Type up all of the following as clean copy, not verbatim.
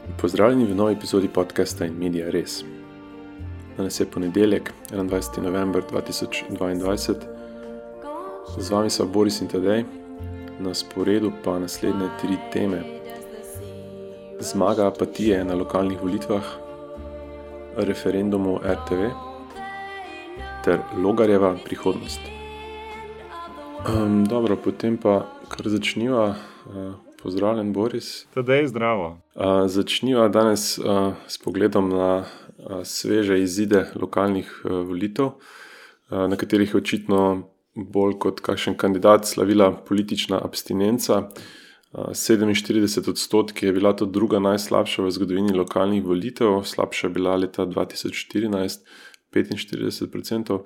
Pozdravljeni v novi epizodi podcasta In Media Res. Danes je ponedeljek, 21. november 2022. Z vami so Boris in Tadej, na sporedu pa naslednje 3 teme. Zmaga apatije na lokalnih volitvah, referendumu RTV ter Logarjeva prihodnost. Dobro, potem pa kar začniva. Pozdravljen, Boris. Tadej, zdravo. Začniva danes s pogledom na sveže izide lokalnih volitev, na katerih je očitno bolj kot kakšen kandidat slavila politična abstinenca. 47% je bila to druga najslabša v zgodovini lokalnih volitev, slabša je bila leta 2014, 45%.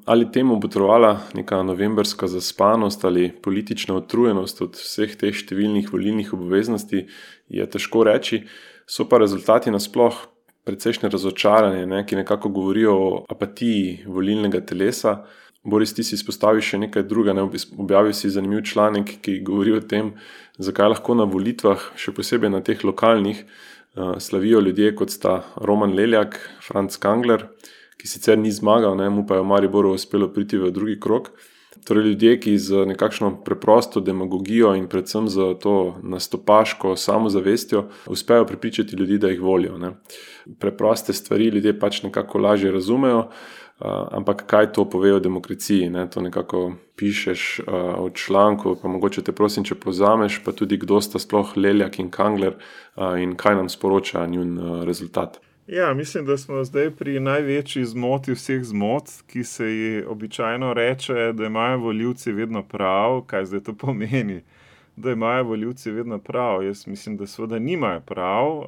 Ali temu botrovala neka novembrska zaspanost ali politična utrujenost od vseh teh številnih volilnih obveznosti, je težko reči. So pa rezultati nasploh precejšnje razočaranje, ki nekako govorijo o apatiji volilnega telesa. Boris, ti si izpostavil še nekaj druga, objavil si zanimiv članek, ki govori o tem, zakaj lahko na volitvah, še posebej na teh lokalnih, slavijo ljudje, kot sta Roman Leljak, Franc Kangler, ki sicer ni zmagal, mu pa je v Mariboru uspelo priti v drugi krog. Torej ljudje, ki z nekakšno preprosto demagogijo in predvsem z to nastopaško samozavestjo uspejo prepričati ljudi, da jih volijo. Preproste stvari ljudje pač nekako lažje razumejo, ampak kaj to pove o demokraciji? To nekako pišeš v članku, pa mogoče te prosim, če povzameš, pa tudi kdo sta sploh Leljak in Kangler in kaj nam sporoča njun rezultat. Ja, mislim, da smo zdaj pri največji zmoti vseh zmot, ki se ji običajno reče, da imajo volivci vedno prav. Kaj zdaj to pomeni, da imajo volivci vedno prav? Jaz mislim, da seveda nimajo prav,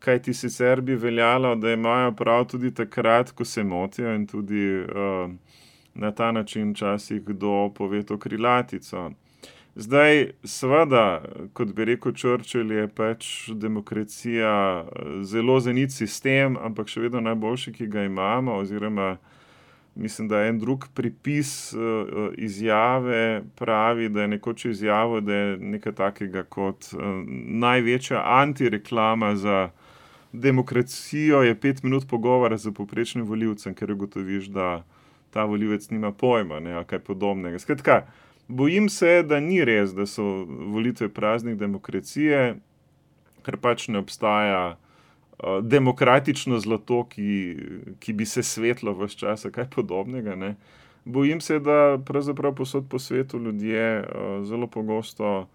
kaj ti sicer bi veljalo, da imajo prav tudi takrat, ko se motijo in tudi na ta način včasih kdo pove to krilatico. Zdaj, seveda, kot bi rekel Churchill, je pač demokracija zelo zenit sistem, ampak še vedno najboljši, ki ga imamo, oziroma mislim, da en drug pripis izjave pravi, da je nekoč izjavil, da je nekaj takega kot največja antireklama za demokracijo je 5 minut pogovora z povprečnim volivcem, ker ugotoviš, da ta volivec nima pojma, ali kaj podobnega. Skratka, bojim se, da ni res, da so volitve praznik demokracije, ker pač ne obstaja demokratično zlato, ki bi se svetlo ves čas, kaj podobnega. Bojim se, da pravzaprav povsod po svetu ljudje zelo pogosto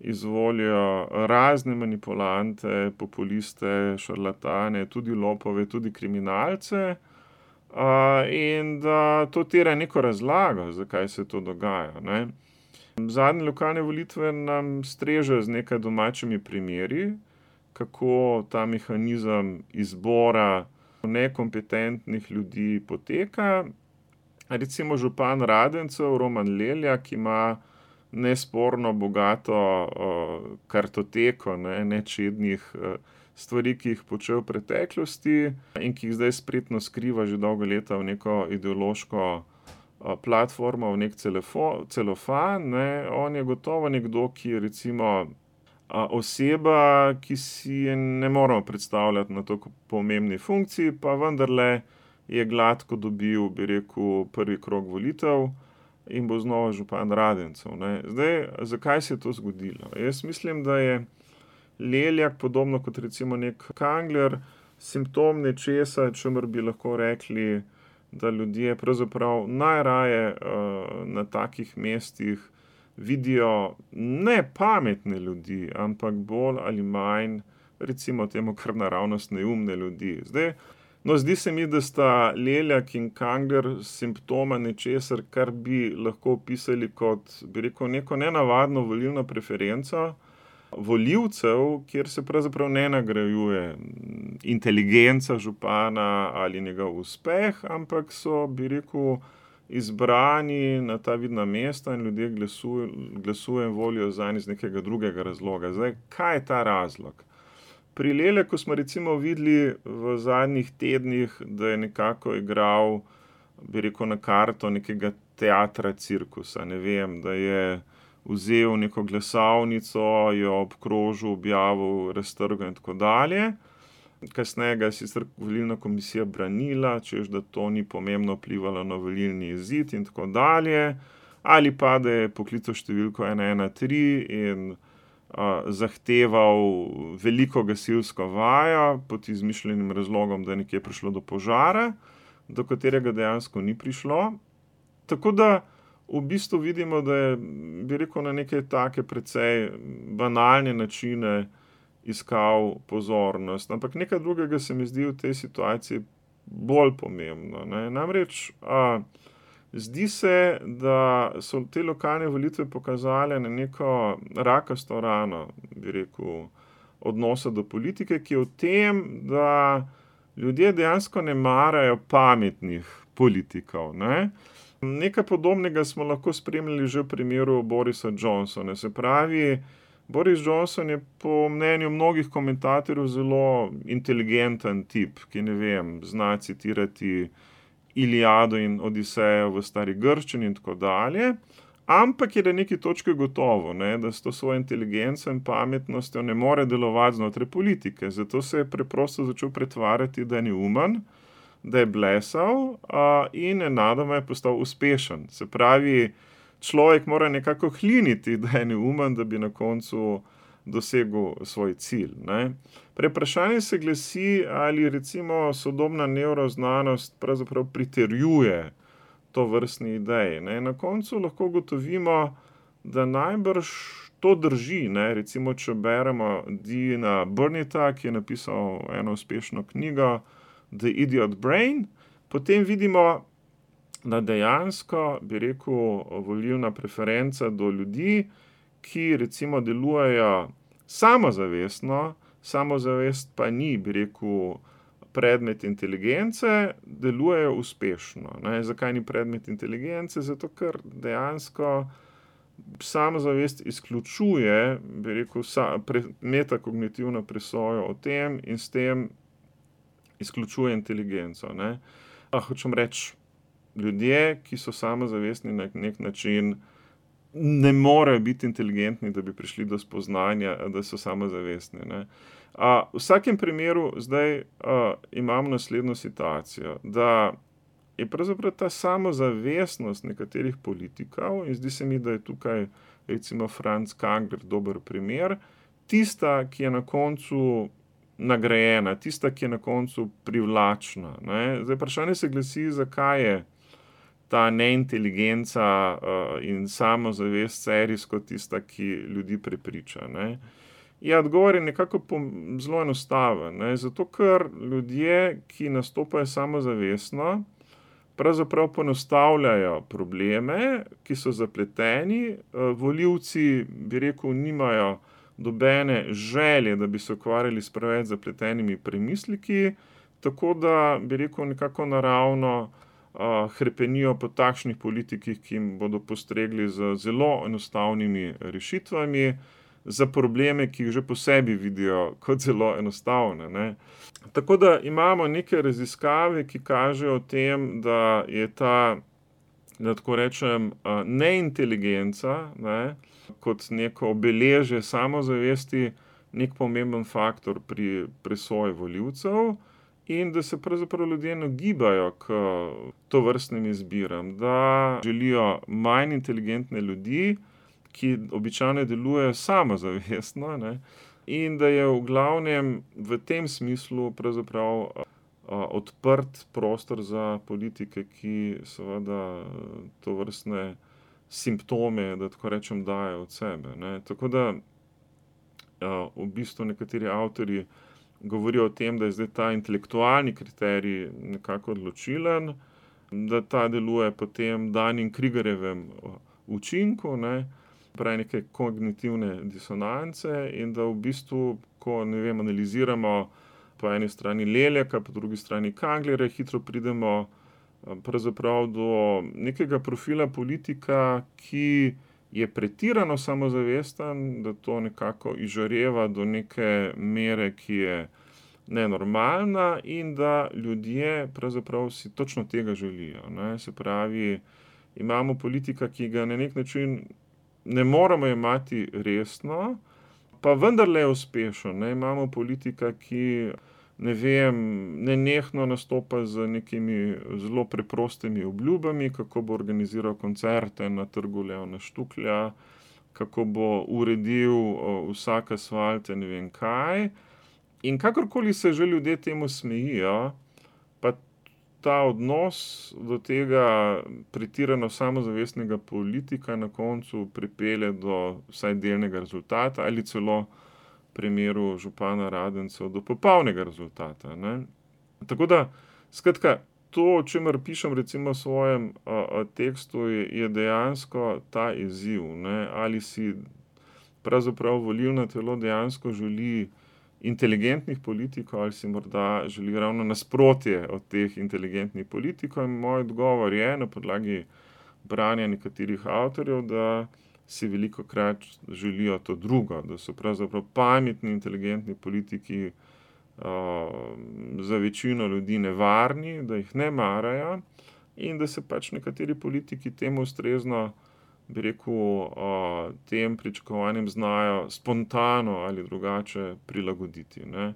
izvolijo razne manipulante, populiste, šarlatane, tudi lopove, tudi kriminalce, in da to terja neko razlago, zakaj se to dogaja. Zadnje lokalne volitve nam strežejo z nekaj domačimi primeri, kako ta mehanizem izbora nekompetentnih ljudi poteka. Recimo župan Radencev, Roman Leljak, ima nesporno bogato kartoteko nečednih stvari, ki jih počel v preteklosti in ki jih zdaj spretno skriva že dolgo leta v neko ideološko platformo, v nek celofan. On je gotovo nekdo, ki je recimo oseba, ki si je ne moramo predstavljati na tako pomembni funkciji, pa vendarle je gladko dobil, bi rekel, prvi krog volitev in bo znova župan Radencev. Zdaj, zakaj se je to zgodilo? Jaz mislim, da je Leljak, podobno kot recimo nek Kangler, simptom nečesa, čemer bi lahko rekli, da ljudje pravzaprav najraje na takih mestih vidijo ne pametne ljudi, ampak bolj ali manj, recimo temu kar naravnost neumne ljudi. Zdaj, zdi se mi, da sta Leljak in Kangler simptoma nečesar, kar bi lahko opisali kot, bi rekel, neko nenavadno volilno preferenco volivcev, kjer se pravzaprav ne nagrajuje inteligenca župana ali njegov uspeh, ampak so, bi rekel, izbrani na ta vidna mesta in ljudje glasujejo in volijo zanj iz nekega drugega razloga. Zdaj, kaj je ta razlog? Pri Leljaku smo recimo videli v zadnjih tednih, da je nekako igral, bi rekel, na karto nekega teatra cirkusa. Ne vem, da je vzel neko glasovnico, jo obkrožil, objavil, raztrgal in tako dalje. Kasneje ga je sicer volilna komisija branila, češ da to ni pomembno vplivalo na volilni izid in tako dalje, ali pa da je poklical številko 113 in zahteval veliko gasilsko vajo pod izmišljenim razlogom, da je nekje prišlo do požara, do katerega dejansko ni prišlo. Tako da v bistvu vidimo, da je, bi rekel, na neke take precej banalne načine iskal pozornost. Ampak nekaj drugega se mi zdi v tej situaciji bolj pomembno, ne. Namreč zdi se, da so te lokalne volitve pokazale na neko rakasto rano, bi rekel, odnosa do politike, ki je v tem, da ljudje dejansko ne marajo pametnih politikov, ne. Nekaj podobnega smo lahko spremljali že v primeru Borisa Johnsona. Se pravi, Boris Johnson je po mnenju mnogih komentatorjev zelo inteligenten tip, ki, ne vem, zna citirati Iliado in Odisejo v stari grščini in tako dalje, ampak je na neki točki gotovo, ne, da s to svojo inteligenco in pametnostjo ne more delovati znotraj politike. Zato se je preprosto začel pretvarjati, da je neumen, da je blesal in nenadoma je postal uspešen. Se pravi, človek mora nekako hliniti, da je neumen, da bi na koncu dosegel svoj cilj, ne. Vprašanje se glasi, ali recimo sodobna nevroznanost pravzaprav pritrjuje tovrstni ideji, ne. Na koncu lahko ugotovimo, da najbrž to drži, ne. Recimo, če beremo Deana Burnetta, ki je napisal eno uspešno knjigo The Idiot Brain, potem vidimo, da dejansko, bi rekel, volilna preferenca do ljudi, ki recimo delujejo samozavestno, samozavest pa ni, bi rekel, predmet inteligence, delujejo uspešno, ne. Zakaj ni predmet inteligence? Zato, ker dejansko samozavest izključuje, bi rekel, metakognitivno presojo o tem in s tem izključuje inteligenco, ne. Hočem reči, ljudje, ki so samozavestni na nek način, ne morejo biti inteligentni, da bi prišli do spoznanja, da so samozavestni, ne. V vsakem primeru zdaj imamo naslednjo situacijo, da je pravzaprav ta samozavestnost nekaterih politikov, in zdi se mi, da je tukaj recimo Franc Kangler dober primer, tista, ki je na koncu nagrajena, tista, ki je na koncu privlačna, ne. Zdaj vprašanje se glasi, zakaj je ta neinteligenca in samozavest serijsko tista, ki ljudi prepriča, ne. Ja, odgovor je nekako zelo enostaven, ne. Zato, ker ljudje, ki nastopajo samozavestno, pravzaprav poenostavljajo probleme, ki so zapleteni, volivci, bi rekel, nimajo nobene želje, da bi se ukvarjali s preveč zapletenimi premisleki, tako da, bi rekel, nekako naravno hrepenijo po takšnih politikih, ki jim bodo postregli z zelo enostavnimi rešitvami za probleme, ki jih že po sebi vidijo kot zelo enostavne, ne. Tako da imamo neke raziskave, ki kažejo o tem, da je ta, da tako rečem, neinteligenca, ne, kot neko obeležje samozavesti, nek pomemben faktor pri presoji volivcev in da se pravzaprav ljudje nagibajo k tovrstnim izbiram, da želijo manj inteligentne ljudi, ki običajno delujejo samozavestno, ne, in da je v glavnem v tem smislu pravzaprav odprt prostor za politike, ki seveda tovrstne simptome, da tako rečem, dajejo od sebe, ne. Tako da v bistvu nekateri avtorji govorijo o tem, da je zdaj ta intelektualni kriterij nekako odločilen, da ta deluje po tem Dunning-Krugerjevem učinku, ne, pravi neke kognitivne disonance in da v bistvu, ko, ne vem, analiziramo po eni strani Leleka, po drugi strani Kanglerja, hitro pridemo pravzaprav do nekega profila politika, ki je pretirano samozavesten, da to nekako izžareva do neke mere, ki je nenormalna in da ljudje pravzaprav si točno tega želijo, ne. Se pravi, imamo politika, ki ga na nek način ne moremo jemati resno, pa vendarle je uspešen. Ne? Imamo politika, ki nenehno nastopa z nekimi zelo preprostimi obljubami, kako bo organiziral koncerte na trgu Leona Štuklja, kako bo uredil vsak asfalt, ne vem kaj. In kakorkoli se že ljudje temu smejijo, pa ta odnos do tega pretirano samozavestnega politika na koncu pripelje do vsaj delnega rezultata ali celo v primeru župana Radencev do popolnega rezultata. Ne? Tako da, skratka, to, o čemer pišem recimo v svojem tekstu, je dejansko ta izziv. Ne? Ali si pravzaprav volilno telo dejansko želi inteligentnih politikov ali si morda želi ravno nasprotje od teh inteligentnih politikov. In moj odgovor je na podlagi branja nekaterih avtorjev, da si velikokrat želijo to drugo, da so pravzaprav pametni, inteligentni politiki za večino ljudi nevarni, da jih ne marajo in da se pač nekateri politiki temu ustrezno, bi rekel, tem pričakovanjem znajo spontano ali drugače prilagoditi. Ne.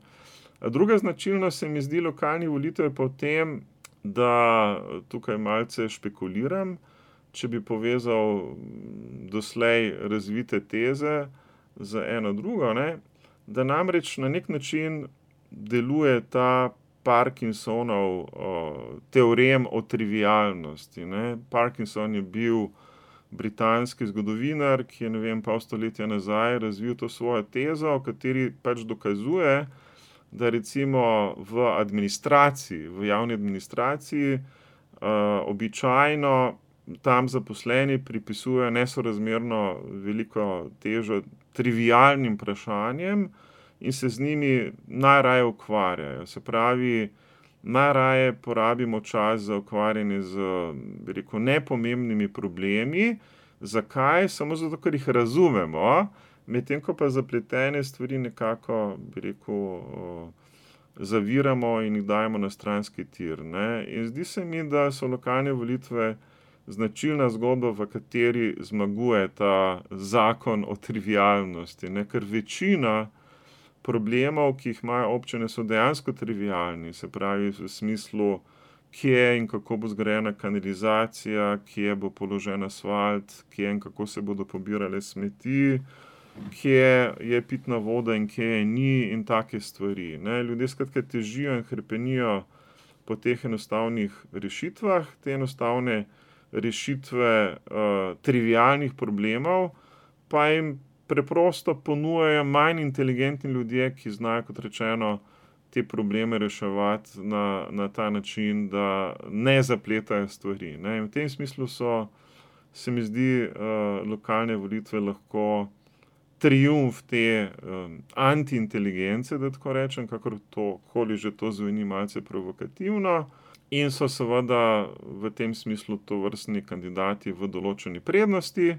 Druga značilnost se mi zdi lokalnih volitev je pa v tem, da tukaj malce špekuliram, če bi povezal doslej razvite teze z eno drugo, ne, da namreč na nek način deluje ta Parkinsonov teorem o trivialnosti. Ne. Parkinson je bil britanski zgodovinar, ki je, pol stoletja nazaj razvil to svojo tezo, v kateri pač dokazuje, da recimo v administraciji, v javni administraciji, običajno tam zaposleni pripisujejo nesorazmerno veliko težo trivialnim vprašanjem in se z njimi najraje ukvarjajo. Se pravi, najraje porabimo čas za ukvarjanje z, bi rekel, nepomembnimi problemi. Zakaj? Samo zato, ker jih razumemo, medtem ko pa zapletene stvari nekako, bi rekel, zaviramo in jih dajemo na stranski tir. Ne? In zdi se mi, da so lokalne volitve značilna zgodba, v kateri zmaguje ta zakon o trivialnosti, ne? Ker večina problemov, ki jih imajo občine, so dejansko trivialni, se pravi v smislu, kje in kako bo zgrajena kanalizacija, kje bo položen asfalt, kje in kako se bodo pobirale smeti, kje je pitna voda in kje je ni in take stvari. Ne? Ljudje skratka težijo in hrepenijo po teh enostavnih rešitvah, te enostavne rešitve trivialnih problemov, pa jim preprosto ponujajo manj inteligentni ljudje, ki znajo, kot rečeno, te probleme reševati na ta način, da ne zapletajo stvari. Ne? In v tem smislu se mi zdi, lokalne volitve lahko triumf te antiinteligence, da tako rečem, kakorkoli že to zveni malce provokativno, in so seveda v tem smislu tovrstni kandidati v določeni prednosti.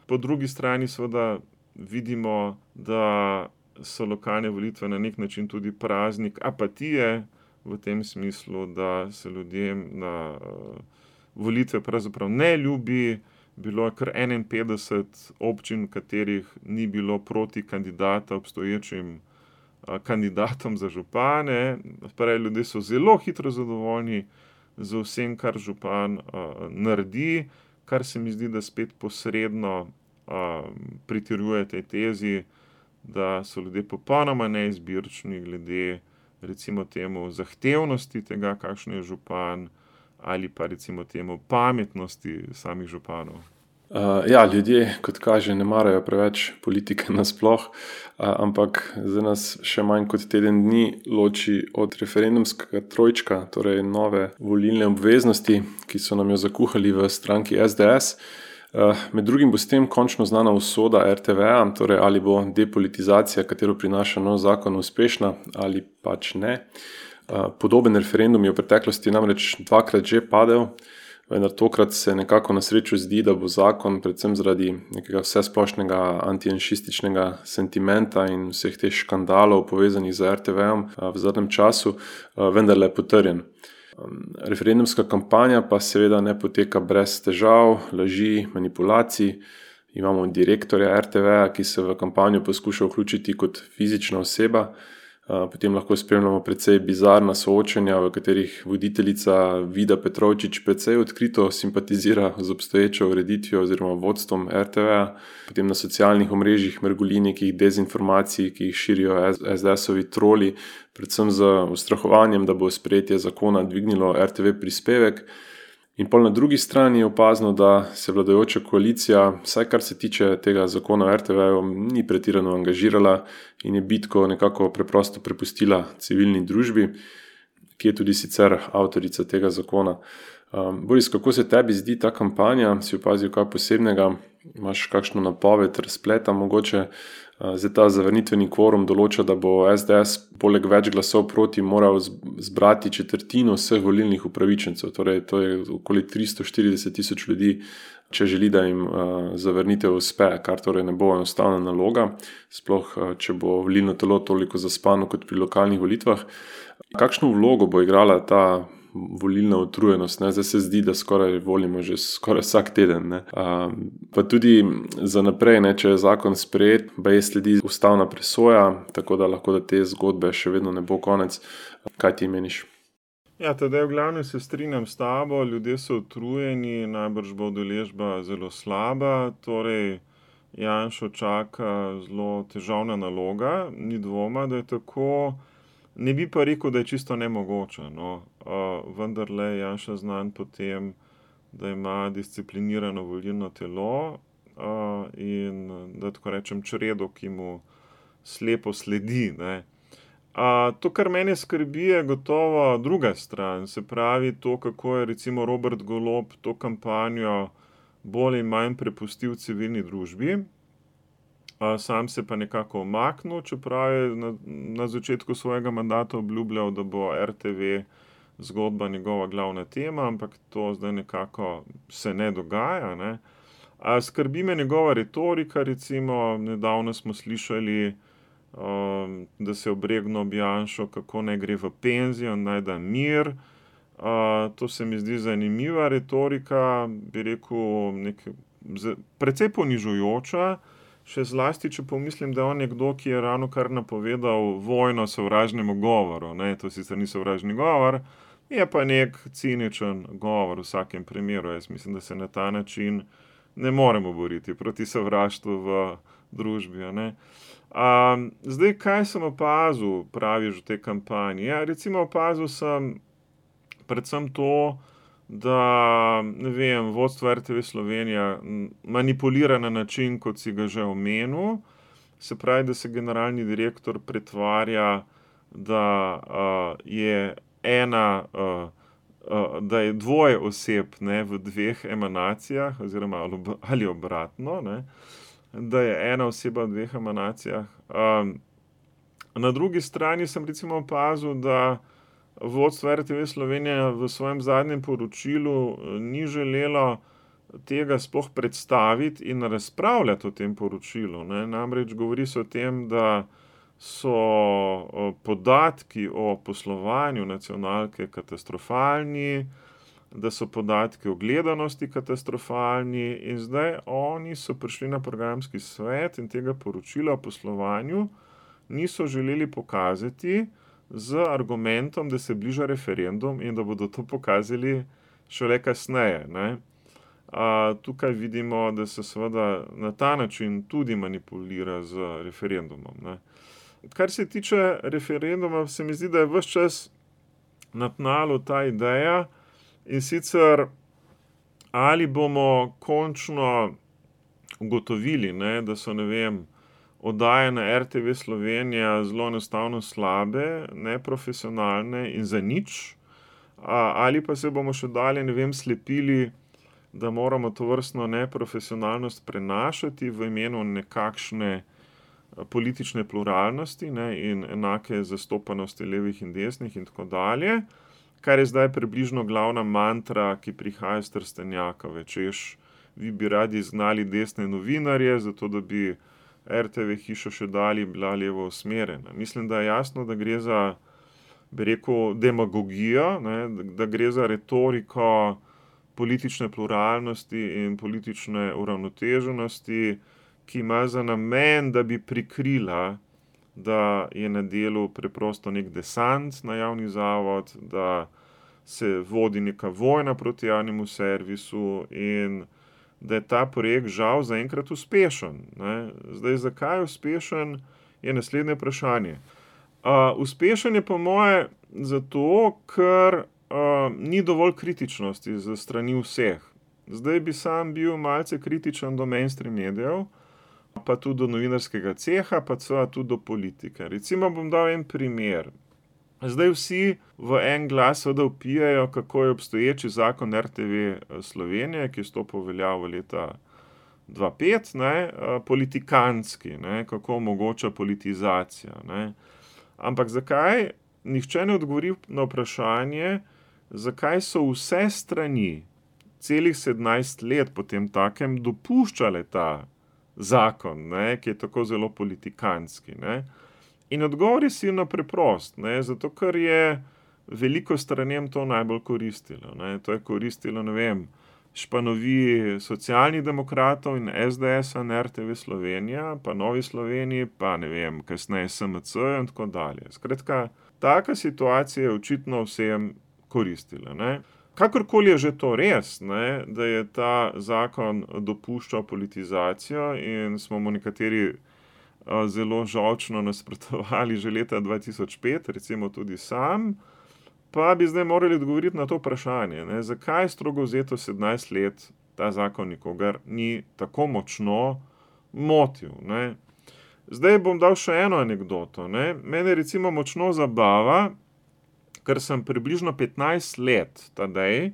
Po drugi strani seveda vidimo, da so lokalne volitve na nek način tudi praznik apatije, v tem smislu, da se ljudem na volitve pravzaprav ne ljubi. Bilo je kar 51 občin, v katerih ni bilo proti kandidata obstoječim kandidatom za župane. Pravi, ljudje so zelo hitro zadovoljni z vsem, kar župan naredi, kar se mi zdi, da spet posredno pritrjuje tej tezi, da so ljudje popolnoma neizbirčni glede recimo temu zahtevnosti tega, kakšen je župan, ali pa recimo temu pametnosti samih županov. Ljudje, kot kaže, ne marajo preveč politike nasploh, ampak za nas še manj kot teden dni loči od referendumskega trojčka, torej nove volilne obveznosti, ki so nam jo zakuhali v stranki SDS. Med drugim bo s tem končno znana usoda RTV-ja, torej ali bo depolitizacija, katero prinaša nov zakon, uspešna ali pač ne. Podoben referendum je v preteklosti namreč dvakrat že padel, vendar tokrat se nekako na srečo zdi, da bo zakon predvsem zaradi nekega vsesplošnega antijanšističnega sentimenta in vseh teh škandalov povezanih z RTV-jem v zadnjem času vendarle potrjen. Referendumska kampanja pa seveda ne poteka brez težav, laži, manipulacij. imamo direktorja RTV-ja, ki se v kampanjo poskuša vključiti kot fizična oseba. Potem lahko spremljamo precej bizarna soočenja, v katerih voditeljica Vida Petrovčič precej odkrito simpatizira z obstoječo ureditvijo oziroma vodstvom RTV-ja. Potem na socialnih omrežjih mrgoli nekih dezinformacij, ki jih širijo SDS-ovi troli, predvsem z ustrahovanjem, da bo sprejetje zakona dvignilo RTV prispevek. In pol na drugi strani je opazno, da se vladajoča koalicija, vsaj kar se tiče tega zakona o RTV-ju, ni pretirano angažirala in je bitko nekako preprosto prepustila civilni družbi, ki je tudi sicer avtorica tega zakona. Boris, kako se tebi zdi ta kampanja? Si opazil kaj posebnega? Imaš kakšno napoved razpleta mogoče? Zdaj ta zavrnitveni kvorum določa, da bo SDS poleg več glasov proti moral zbrati četrtino vseh volilnih upravičencev, torej to je okoli 340,000 ljudi, če želi, da jim zavrnitev uspe, kar torej ne bo enostavna naloga, sploh če bo volilno telo toliko zaspano kot pri lokalnih volitvah. Kakšno vlogo bo igrala ta volilna utrujenost, ne? Zdaj se zdi, da skoraj volimo že skoraj vsak teden, ne? Pa tudi za naprej, ne? Če je zakon sprejet, baje sledi ustavna presoja, tako da lahko da te zgodbe še vedno ne bo konec. Kaj ti meniš? Ja, teda v glavnem se strinjam s tabo, ljudje so utrujeni, najbrž bo udeležba zelo slaba, torej Janšo čaka zelo težavna naloga, ni dvoma, da je tako. Ne bi pa rekel, da je čisto nemogoče, no. Vendarle je Janša znan po tem, da ima disciplinirano volilno telo in da tako rečem čredo, ki mu slepo sledi, ne. To, kar mene skrbi, je gotovo druga stran, se pravi to, kako je recimo Robert Golob to kampanjo bolj in manj prepustil civilni družbi. Sam se pa nekako umaknil, čeprav je na začetku svojega mandata obljubljal, da bo RTV zgodba njegova glavna tema, ampak to zdaj nekako se ne dogaja, ne. Skrbi me njegova retorika, recimo nedavno smo slišali, da se je obregnil ob Janšo, kako naj gre v penzijo, naj da mir. To se mi zdi zanimiva retorika, bi rekel, precej ponižujoča. Še zlasti, če pomislim, da je on nekdo, ki je ravnokar napovedal vojno sovražnemu govoru, ne, to sicer ni sovražni govor, je pa nek ciničen govor v vsakem primeru. Jaz mislim, da se na ta način ne moremo boriti proti sovraštvu v družbi, ne. Zdaj, kaj sem opazil, praviš v tej kampanji? Ja, recimo opazil sem predvsem to, da, ne vem, vodstvo RTV Slovenija manipulira na način, kot si ga že omenil. Se pravi, da se generalni direktor pretvarja, da je da je dvoje oseb, ne, v dveh emanacijah, oziroma ali obratno, ne, da je ena oseba v dveh emanacijah. Na drugi strani sem recimo opazil, da vodstvo RTV Slovenija v svojem zadnjem poročilu ni želelo tega sploh predstaviti in razpravljati o tem poročilu, ne. Namreč govori se o tem, da so podatki o poslovanju nacionalke katastrofalni, da so podatki o gledanosti katastrofalni in zdaj oni so prišli na programski svet in tega poročila o poslovanju niso želeli pokazati z argumentom, da se bliža referendum in da bodo to pokazali šele kasneje, ne. Tukaj vidimo, da se seveda na ta način tudi manipulira z referendumom, ne. Kar se tiče referenduma, se mi zdi, da je ves čas na tnalu ta ideja, in sicer ali bomo končno ugotovili, ne, da so, ne vem, oddaje na RTV Slovenija zelo enostavno slabe, neprofesionalne in zanič, ali pa se bomo še dalje, ne vem, slepili, da moramo tovrstno neprofesionalnost prenašati v imenu nekakšne politične pluralnosti, ne, in enake zastopanosti levih in desnih in tako dalje, kar je zdaj približno glavna mantra, ki prihaja iz Trstenjaka, češ, vi bi radi izgnali desne novinarje, zato da bi RTV hiša še dalje bila levo usmerjena. Mislim, da je jasno, da gre za, bi rekel, demagogijo, ne, da gre za retoriko politične pluralnosti in politične uravnoteženosti, ki ima za namen, da bi prikrila, da je na delu preprosto nek desant na javni zavod, da se vodi neka vojna proti javnemu servisu in da je ta projekt žal zaenkrat uspešen. Ne? Zdaj, zakaj je uspešen, je naslednje vprašanje. Uspešen je po moje zato, ker ni dovolj kritičnosti za strani vseh. Zdaj bi sam bil malce kritičen do mainstream medijev, pa tudi do novinarskega ceha, pa tudi do politike. Recimo bom dal en primer. Zdaj vsi v en glas vpijajo, kako je obstoječi zakon RTV Slovenije, ki je stopil v veljavo leta 2005, ne, politikantski, ne, kako omogoča politizacija. Ne. Ampak zakaj nihče ne odgovori na vprašanje, zakaj so vse strani celih 17 let potem takem dopuščale ta zakon, ne, ki je tako zelo politikantski. Ne. In odgovor je silno preprost, ne, zato ker je veliko stranem to najbolj koristilo. Ne. To je koristilo, ne vem, Španoviji Socialnih demokratov in SDS-a na RTV Slovenija, pa Novi Sloveniji, pa ne vem, kasneje SMC in tako dalje. Skratka, taka situacija je očitno vsem koristila. Ne. Kakorkoli je že to res, ne, da je ta zakon dopuščal politizacijo in smo mu nekateri zelo žolčno nasprotovali že leta 2005, recimo tudi sam, pa bi zdaj morali odgovoriti na to vprašanje, ne, zakaj strogo vzeto 17 let ta zakon nikogar ni tako močno motil. Ne. Zdaj bom dal še eno anekdoto. Ne. Mene recimo močno zabava, ker sem približno 15 let tadej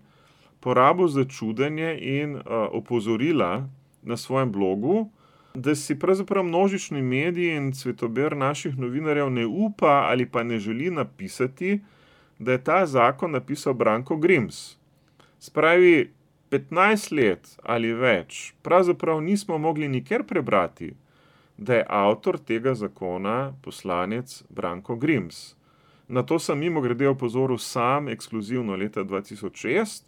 porabil za čudenje in opozorila na svojem blogu, da si pravzaprav množični mediji in cvetober naših novinarjev ne upa ali pa ne želi napisati, da je ta zakon napisal Branko Grims. Spravi 15 let ali več, pravzaprav nismo mogli nikjer prebrati, da je avtor tega zakona poslanec Branko Grims. Na to sem mimogrede opozoril sam ekskluzivno leta 2006,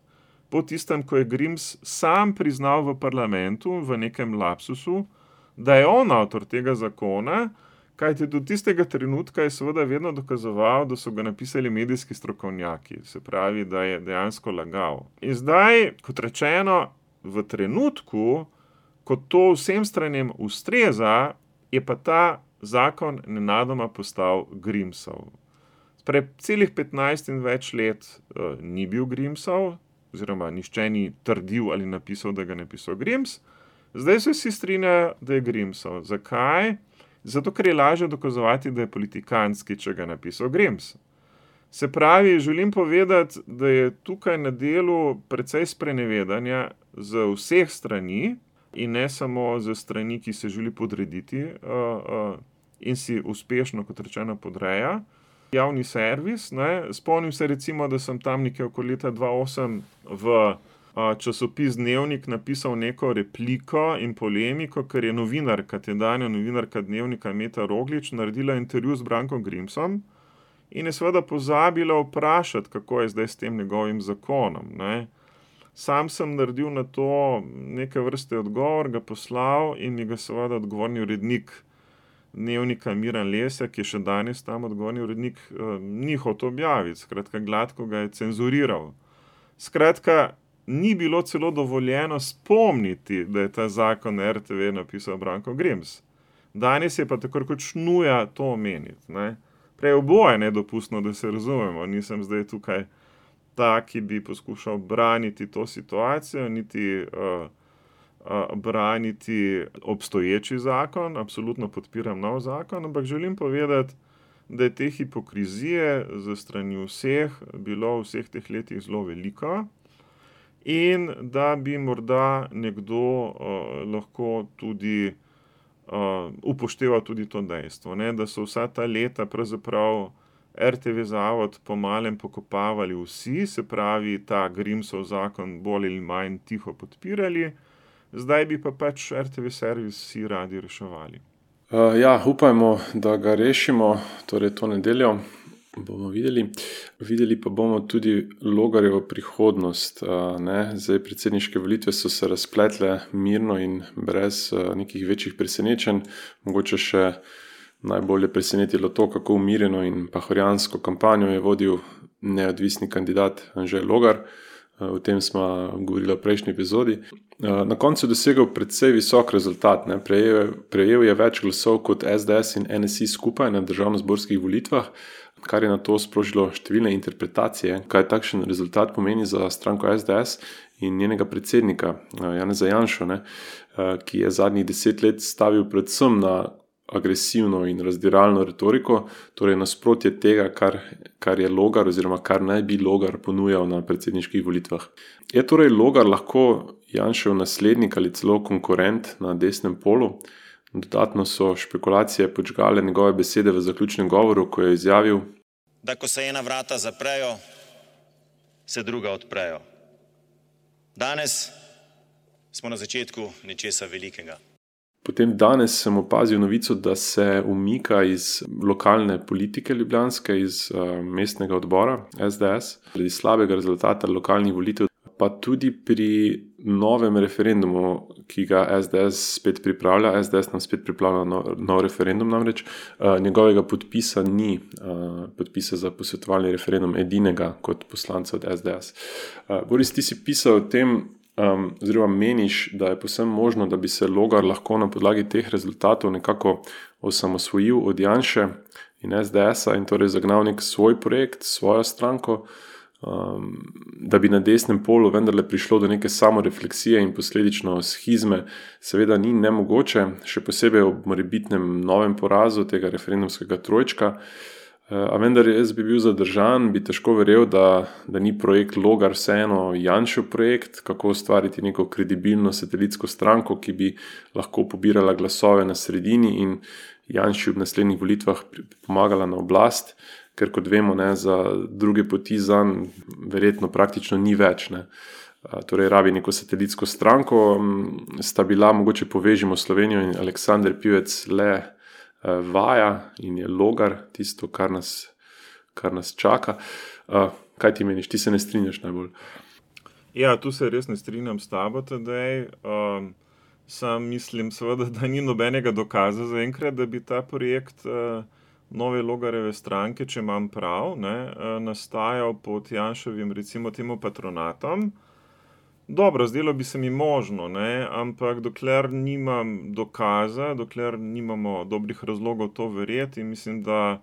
po tistem, ko je Grims sam priznal v parlamentu v nekem lapsusu, da je on avtor tega zakona, kajti do tistega trenutka je seveda vedno dokazoval, da so ga napisali medijski strokovnjaki, se pravi, da je dejansko lagal. In zdaj, kot rečeno, v trenutku, ko to vsem stranem ustreza, je pa ta zakon nenadoma postal Grimsov. Celih 15 in več let ni bil Grimsov, oziroma nihče ni trdil ali napisal, da ga je napisal Grims. Zdaj se vsi strinjajo, da je Grimsov. Zakaj? Zato, ker je lažje dokazovati, da je politikantski, če ga je napisal Grims. Se pravi, želim povedati, da je tukaj na delu precej sprenevedanja z vseh strani in ne samo z strani, ki se želi podrediti in si uspešno, kot rečeno, podreja javni servis. Ne. Spomnim se recimo, da sem tam nekje okoli leta 2008 v časopis Dnevnik napisal neko repliko in polemiko, ker je novinarka, tedanja novinarka Dnevnika Meta Roglič naredila intervju z Brankom Grimsom in je seveda pozabila vprašati, kako je zdaj s tem njegovim zakonom. Ne. Sam sem naredil na to neke vrste odgovor, ga poslal in mi ga seveda odgovorni urednik Dnevnika Miran Lesjak, ki je še danes tam odgovorni urednik, ni hotel objaviti, skratka gladko ga je cenzuriral. Skratka, ni bilo celo dovoljeno spomniti, da je ta zakon na RTV napisal Branko Grims. Danes je pa tako kot šnuja to omeniti. Ne. Prej oboje nedopustno, da se razumemo, nisem zdaj tukaj ta, ki bi poskušal braniti to situacijo, niti braniti obstoječi zakon, absolutno podpiram nov zakon, ampak želim povedati, da je te hipokrizije za strani vseh bilo v vseh teh letih zelo veliko in da bi morda nekdo lahko tudi upošteval tudi to dejstvo, ne, da so vsa ta leta pravzaprav RTV zavod po malem pokopavali vsi, se pravi ta Grimsov zakon bolj ali manj tiho podpirali, zdaj bi pa pač RTV servis vsi radi reševali. Ja, upajmo, da ga rešimo, torej to nedeljo. Bomo videli. Videli pa bomo tudi Logarjevo prihodnost. Zdaj, predsedniške volitve so se razpletle mirno in brez nekih večjih presenečenj. Mogoče še najbolje presenetilo to, kako umirjeno in pahorjansko kampanjo je vodil neodvisni kandidat Anže Logar. O tem smo govorili v prejšnji epizodi. Na koncu je dosegel precej visok rezultat. Prejel je več glasov kot SDS in NSI skupaj na državnozborskih volitvah, kar je na to sprožilo številne interpretacije, kaj takšen rezultat pomeni za stranko SDS in njenega predsednika Janeza Janšo, ki je zadnjih 10 let stavil predvsem na agresivno in razdiralno retoriko, torej nasprotje tega, kar je Logar oziroma kar naj bi Logar ponujal na predsedniških volitvah. Je torej Logar lahko Janšev naslednik ali celo konkurent na desnem polu? Dodatno so špekulacije podžgale njegove besede v zaključnem govoru, ko je izjavil, da ko se ena vrata zaprejo, se druga odprejo. Danes smo na začetku nečesa velikega. Potem danes sem opazil novico, da se umika iz lokalne politike ljubljanske, iz mestnega odbora SDS, zaradi slabega rezultata lokalnih volitev, pa tudi pri novem referendumu, ki ga SDS spet pripravlja. SDS nam spet pripravlja nov referendum namreč. Njegovega podpisa ni, podpisa za posvetovalni referendum edinega kot poslanca od SDS. Boris, ti si pisal o tem, oziroma meniš, da je povsem možno, da bi se Logar lahko na podlagi teh rezultatov nekako osamosvojil od Janše in SDS-a in torej zagnal nek svoj projekt, svojo stranko, da bi na desnem polu vendarle prišlo do neke samorefleksije in posledično schizme, seveda ni nemogoče, še posebej ob morebitnem novem porazu tega referendumskega trojčka. A vendar jaz bi bil zadržan, bi težko verjel, da ni projekt Logar vseeno Janšev projekt, kako ustvariti neko kredibilno satelitsko stranko, ki bi lahko pobirala glasove na sredini in Janši v naslednjih volitvah pomagala na oblast, ker kot vemo, za druge poti zanj verjetno praktično ni več. Torej rabi neko satelitsko stranko, sta bila, mogoče povežimo Slovenijo in Aleksander Pivec le vaja in je Logar tisto, kar nas čaka. Kaj ti meniš? Ti se ne strinjaš najbolj? Ja, tu se res ne strinjam s tabo, Tadej. Sam mislim seveda, da ni nobenega dokaza zaenkrat, da bi ta projekt nove Logarjeve stranke, če imam prav, nastajal pod Janševim, recimo temu, patronatom. Dobro, zdelo bi se mi možno, ampak dokler nimam dokaza, dokler nimamo dobrih razlogov to verjeti, mislim, da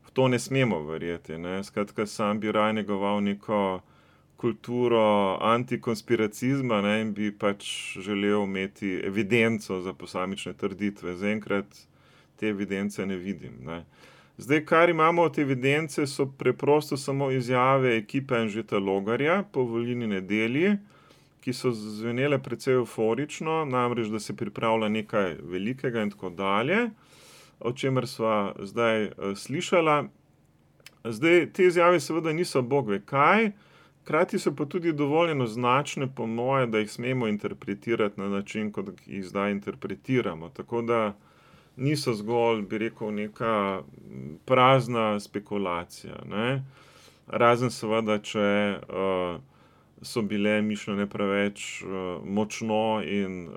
v to ne smemo verjeti. Skratka, sam bi raje negoval neko kulturo antikonspiracizma in bi pač želel imeti evidenco za posamične trditve. Zaenkrat te evidence ne vidim. Zdaj, kar imamo od evidence, so preprosto samo izjave ekipe Anžeta Logarja po volilni nedelji, ki so zvenele precej euforično, namreč, da se pripravlja nekaj velikega in tako dalje, o čemer sva zdaj slišala. Zdaj, te izjave seveda niso bog ve kaj, hkrati so pa tudi dovolj enoznačne, po moje, da jih smemo interpretirati na način, kot jih zdaj interpretiramo. Tako da niso zgolj, bi rekel, neka prazna spekulacija. Razen seveda, če so bile mišljene preveč močno in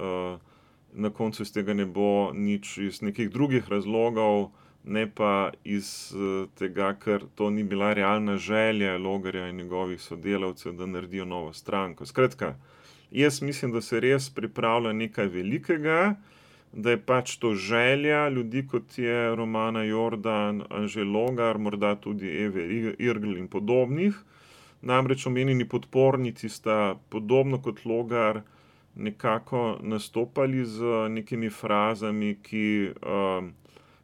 na koncu iz tega ne bo nič iz nekih drugih razlogov, ne pa iz tega, ker to ni bila realna želja Logarja in njegovih sodelavcev, da naredijo novo stranko. Skratka, jaz mislim, da se res pripravlja nekaj velikega, da je pač to želja ljudi, kot je Romana Jordan, Anže Logar, morda tudi Eve Irgl in podobnih. Namreč omenjeni podpornici sta podobno kot Logar nekako nastopali z nekimi frazami, ki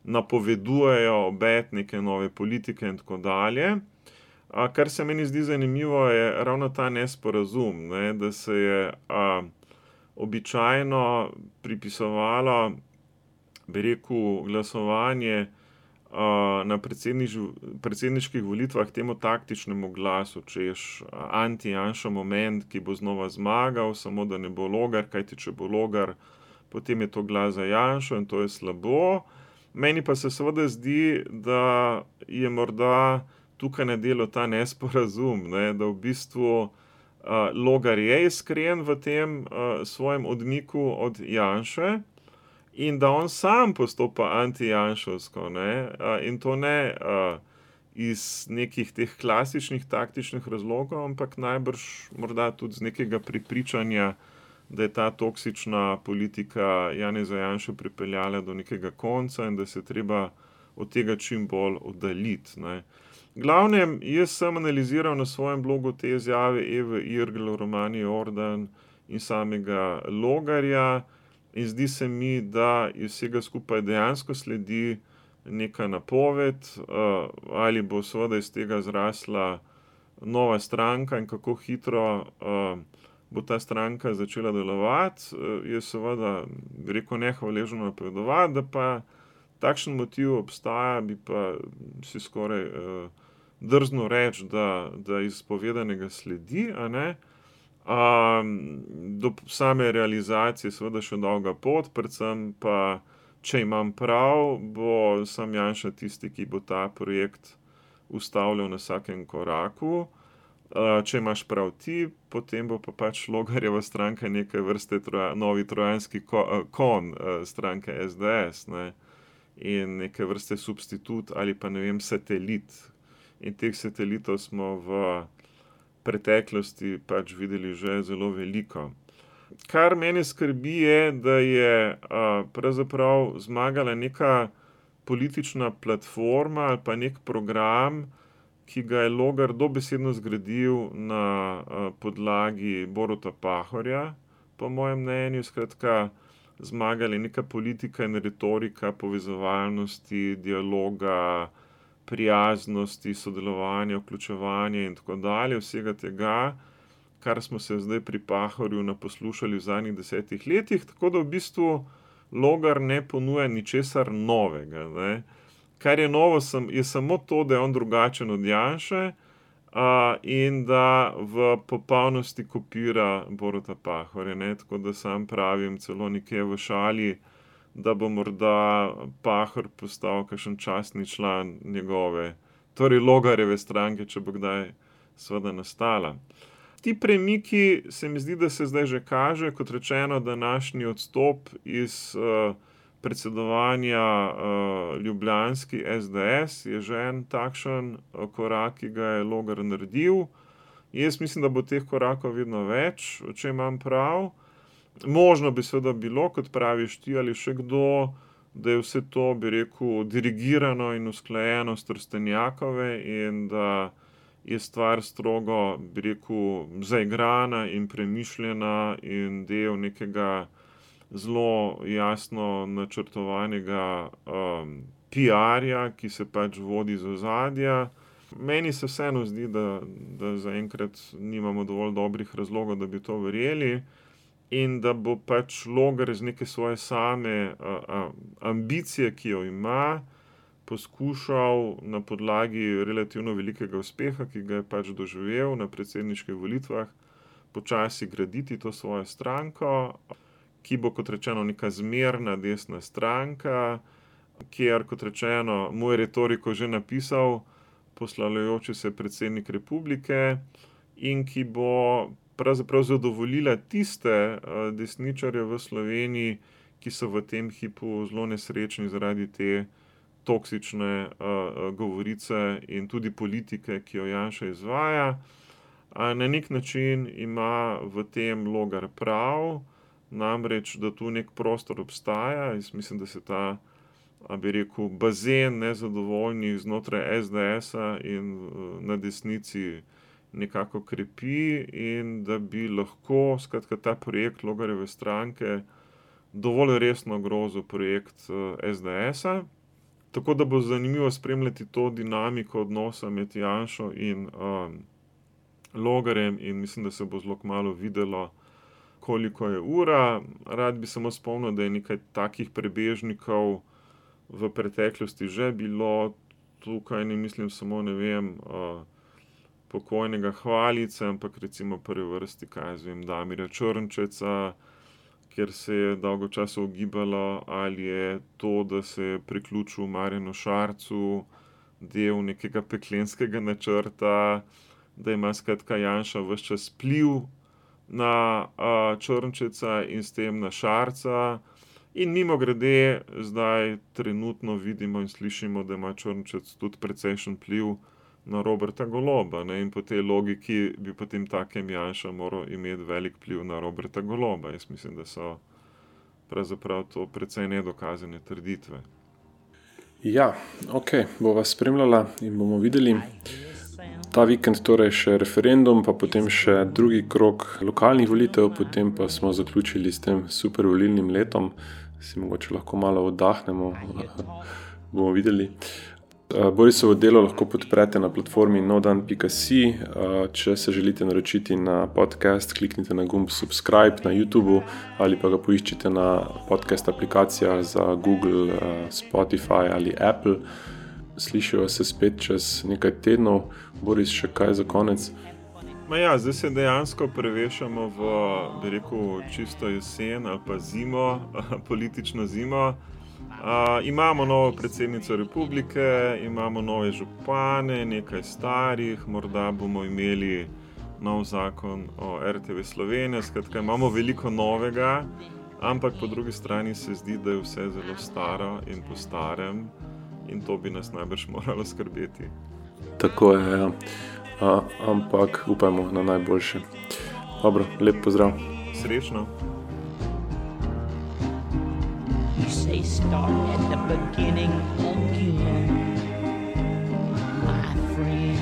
napovedujejo obet neke nove politike in tako dalje. Kar se meni zdi zanimivo, je ravno ta nesporazum, da se je običajno pripisovalo, bi rekel, glasovanje na predsedniških volitvah temu taktičnemu glasu, češ anti-Janša moment, ki bo znova zmagal, samo da ne bo Logar, kajti če bo Logar, potem je to glas za Janšo in to je slabo. Meni pa se seveda zdi, da je morda tukaj na delu ta nesporazum, ne, da v bistvu Logar je iskren v tem svojem odmiku od Janše in da on sam postopa anti-janševsko, ne, in to ne iz nekih teh klasičnih taktičnih razlogov, ampak najbrž morda tudi z nekega prepričanja, da je ta toksična politika Janeza Janše pripeljala do nekega konca in da se treba od tega čim bolj oddaljiti, ne. Glavnem, jaz sem analiziral na svojem blogu te izjave Eve Irgl, Romani Jordan in samega Logarja in zdi se mi, da iz vsega skupaj dejansko sledi neka napoved, ali bo seveda iz tega zrasla nova stranka in kako hitro bo ta stranka začela delovati, je seveda, bi rekel, nehvaležno napovedovati, da pa takšen motiv obstaja, bi pa si skoraj drzno reči, da iz povedanega sledi, a ne. Do same realizacije seveda še dolga pot, predvsem pa, če imam prav, bo sam Janša tisti, ki bo ta projekt ustavljal na vsakem koraku. Če imaš prav ti, potem bo pa pač Logarjeva stranka neke vrste novi trojanski konj stranke SDS, ne. In neke vrste substitut ali pa, ne vem, satelit. In teh satelitov smo v preteklosti pač videli že zelo veliko. Kar mene skrbi je, da je pravzaprav zmagala neka politična platforma ali pa nek program, ki ga je Logar dobesedno zgradil na podlagi Boruta Pahorja, po mojem mnenju. Skratka, zmagala je neka politika in retorika povezovalnosti, dialoga, prijaznosti, sodelovanja, vključevanja in tako dalje, vsega tega, kar smo se zdaj pri Pahorju naposlušali v zadnjih 10 letih, tako da v bistvu Logar ne ponuja ničesar novega, ne. Kar je novo, je samo to, da je on drugačen od Janše in da v popolnosti kopira Boruta Pahorja, ne, tako da sam pravim celo nekje v šali, da bo morda Pahor postal kakšen častni član njegove, torej Logarjeve stranke, če bo kdaj seveda nastala. Ti premiki se mi zdi, da se zdaj že kaže, kot rečeno, današnji odstop iz predsedovanja ljubljanski SDS je že en takšen korak, ki ga je Logar naredil. Jaz mislim, da bo teh korakov vedno več, če imam prav. Možno bi seveda bilo, kot praviš ti ali še kdo, da je vse to, bi rekel, dirigirano in usklajeno s Trstenjakove in da je stvar strogo, bi rekel, zaigrana in premišljena in del nekega zelo jasno načrtovanega PR-ja, ki se pač vodi iz ozadja. Meni se vseeno zdi, da zaenkrat nimamo dovolj dobrih razlogov, da bi to verjeli, in da bo pač Logar iz neke svoje same ambicije, ki jo ima, poskušal na podlagi relativno velikega uspeha, ki ga je pač doživel na predsedniških volitvah, počasi graditi to svojo stranko, ki bo, kot rečeno, neka zmerna desna stranka, kjer, kot rečeno, mu je retoriko že napisal poslavljajoči se predsednik republike in ki bo pravzaprav zadovoljila tiste desničarje v Sloveniji, ki so v tem hipu zelo nesrečni zaradi te toksične govorice in tudi politike, ki jo Janša izvaja. Na nek način ima v tem Logar prav, namreč, da tu nek prostor obstaja. Jaz mislim, da se ta, bi rekel, bazen nezadovoljnih znotraj SDS-a in na desnici nekako krepi in da bi lahko, skratka, ta projekt Logarjeve stranke dovolj resno grozil projekt SDS-a. Tako da bo zanimivo spremljati to dinamiko odnosa med Janšo in Logarjem in mislim, da se bo zelo kmalu videlo, koliko je ura. Rad bi samo spomnil, da je nekaj takih prebežnikov v preteklosti že bilo. Tukaj ne mislim samo, ne vem, pokojnega Hvalice, ampak recimo v prvi vrsti, kaj jaz vem, Damirja Črnčeca, kjer se je dolgo časa ugibalo, ali je to, da se je priključil Marjanu Šarcu, del nekega peklenskega načrta, da ima skratka Janša ves čas vpliv na Črnčeca in s tem na Šarca. In mimogrede, zdaj trenutno vidimo in slišimo, da ima Črnčec tudi precejšen vpliv na Roberta Goloba, ne? In po tej logiki bi potem takem Janša moral imeti velik vpliv na Roberta Goloba. Jaz mislim, da so pravzaprav to precej nedokazane trditve. Ja, ok, bova spremljala in bomo videli. Ta vikend torej še referendum, pa potem še drugi krog lokalnih volitev, potem pa smo zaključili s tem super volilnim letom. Si mogoče lahko malo oddahnemo, bomo videli. Borisovo delo lahko podprete na platformi nodan.si. Če se želite naročiti na podcast, kliknite na gumb subscribe na YouTubeu ali pa ga poiščite na podcast aplikacijah za Google, Spotify ali Apple. Slišijo se spet čez nekaj tednov. Boris, še kaj za konec? Zdaj se dejansko prevešamo v, bi rekel, čisto jesen ali pa zimo, politično zimo. Imamo novo predsednico republike, imamo nove župane, nekaj starih, morda bomo imeli nov zakon o RTV Slovenija, skratka imamo veliko novega, ampak po drugi strani se zdi, da je vse zelo staro in po starem in to bi nas najbrž moralo skrbeti. Tako je, ja. Ampak upajmo na najboljše. Dobro, lep pozdrav. Srečno. You say start at the beginning again, my friend.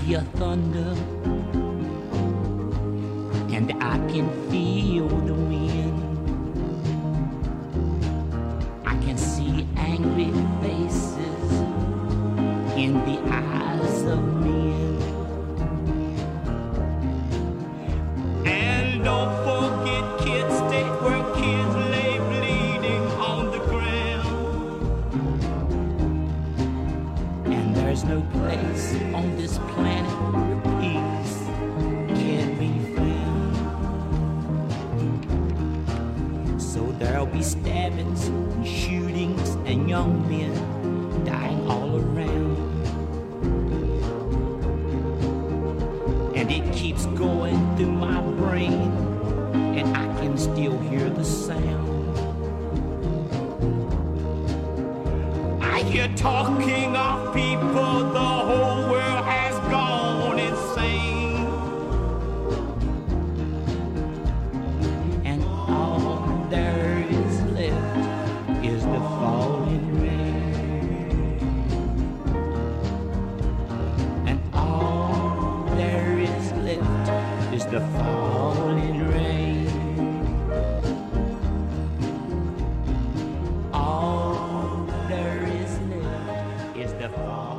Hear thunder, and I can feel the wind. I can see angry faces in the eyes of men. And don't forget, kids, stay where kids lay bleeding on the ground. And there's no place on this planet where peace can be found. So there'll be stabbings and shootings and young men dying all around. And it keeps going through my brain, and I can still hear the sound. I hear talking of people, the whole world has gone insane. And all there is left is the falling rain. And all there is left is the falling rain. All there is left is the falling rain.